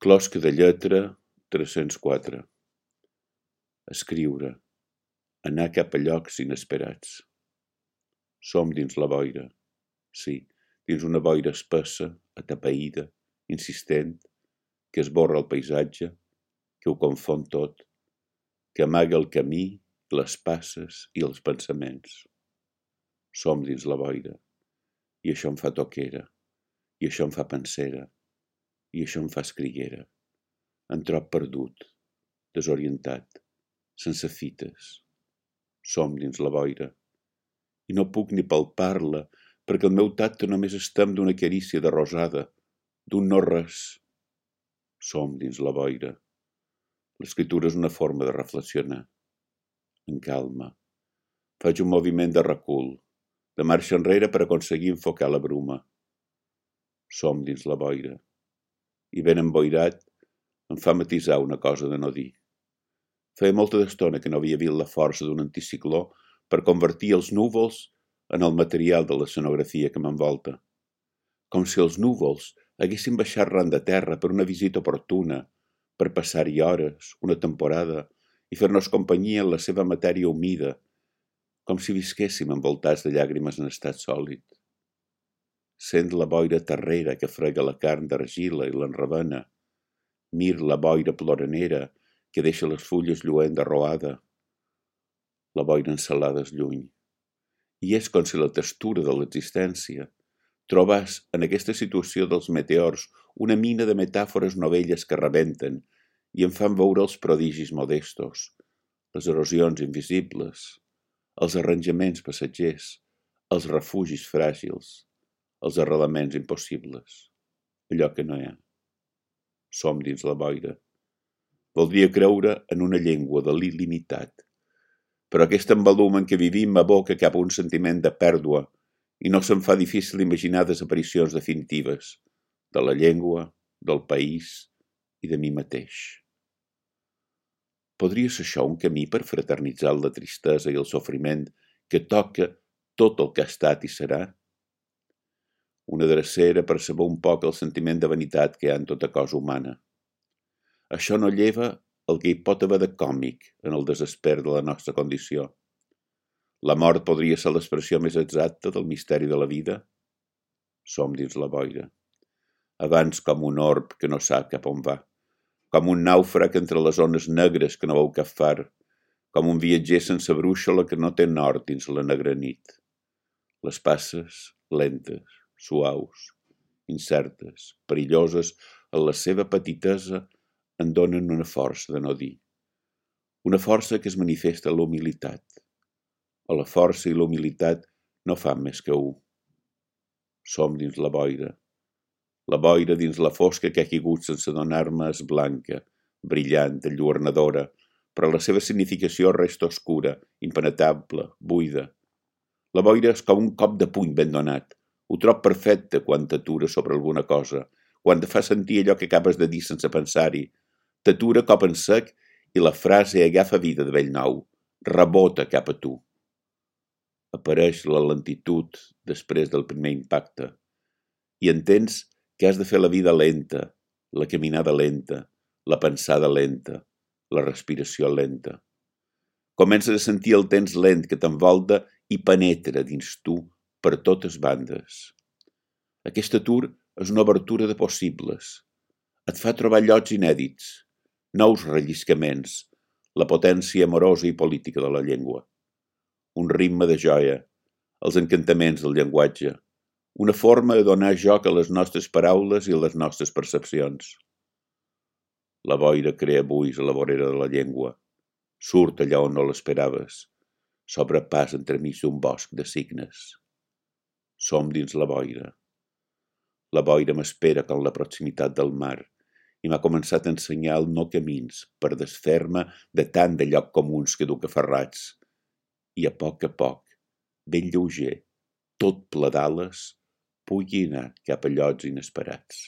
Closca de lletra 304. Escriure. Anar cap a llocs inesperats. Som dins la boira. Sí, dins una boira espessa, atapeïda, insistent, que esborra el paisatge, que ho confon tot, que amaga el camí, les passes i els pensaments. Som dins la boira. I això em fa toquera. I això em fa pensera. I això em fa escriguera. Em trob perdut, desorientat, sense fites. Som dins la boira. I no puc ni palpar-la, perquè el meu tacte només es tem d'una carícia de rosada, d'un no-res. Som dins la boira. L'escriptura és una forma de reflexionar. En calma. Faig un moviment de recul, de marxa enrere per aconseguir enfocar la bruma. Som dins la boira. I ben emboirat em fa matisar una cosa de no dir. Feia molta d'estona que no havia vist la força d'un anticicló per convertir els núvols en el material de l'escenografia que m'envolta. Com si els núvols haguessin baixat ran de terra per una visita oportuna, per passar-hi hores, una temporada, i fer-nos companyia en la seva matèria humida, com si visquéssim envoltats de llàgrimes en estat sòlid. Sent la boira terrera que frega la carn d'argila i l'enrabena. Mir la boira ploranera que deixa les fulles lluent arroada. La boira ensalada és lluny. I és com si la textura de l'existència trobàs en aquesta situació dels meteors una mina de metàfores novelles que rebenten i em fan veure els prodigis modestos, les erosions invisibles, els arranjaments passatgers, els refugis fràgils, els arrelaments impossibles, allò que no hi ha. Som dins la boira. Voldria creure en una llengua de l'il·limitat, però aquest embalum en què vivim m'aboca cap a un sentiment de pèrdua i no se'm fa difícil imaginar desaparicions definitives de la llengua, del país i de mi mateix. Podria ser això un camí per fraternitzar la tristesa i el sofriment que toca tot el que ha estat i serà? Una drecera per saber un poc el sentiment de vanitat que hi ha en tota cosa humana. Això no lleva el que hi pot haver de còmic en el desesper de la nostra condició. La mort podria ser l'expressió més exacta del misteri de la vida? Som dins la boira. Abans com un orb que no sap cap on va, com un nàufrag entre les ones negres que no veu cap far, com un viatger sense brúixola que no té nord dins la negra nit. Les passes, lentes, suaus, incertes, perilloses, en la seva petitesa en donen una força de no dir. Una força que es manifesta a la humilitat. O la força i la humilitat no fan més que un. Som dins la boira. La boira dins la fosca que ha caigut sense donar-me és blanca, brillant, enlluernadora, però la seva significació resta oscura, impenetrable, buida. La boira és com un cop de puny ben donat. Ho trob perfecte quan t'atura sobre alguna cosa, quan te fa sentir allò que acabes de dir sense pensar-hi. T'atura cop en sec i la frase agafa vida de bell nou, rebota cap a tu. Apareix la lentitud després del primer impacte i entens que has de fer la vida lenta, la caminada lenta, la pensada lenta, la respiració lenta. Comences a sentir el temps lent que t'envolta i penetra dins tu per totes bandes. Aquest atur és una obertura de possibles. Et fa trobar llocs inèdits, nous relliscaments, la potència amorosa i política de la llengua. Un ritme de joia, els encantaments del llenguatge, una forma de donar joc a les nostres paraules i a les nostres percepcions. La boira crea buis a la vorera de la llengua, surt allà on no l'esperaves, s'obre pas entremig d'un bosc de signes. Som dins la boira. La boira m'espera com la proximitat del mar i m'ha començat a ensenyar el no camins per desfer-me de tant de llocs comuns que duc aferrats. I a poc, ben lleuger, tot ple d'ales, pugui anar cap a llocs inesperats.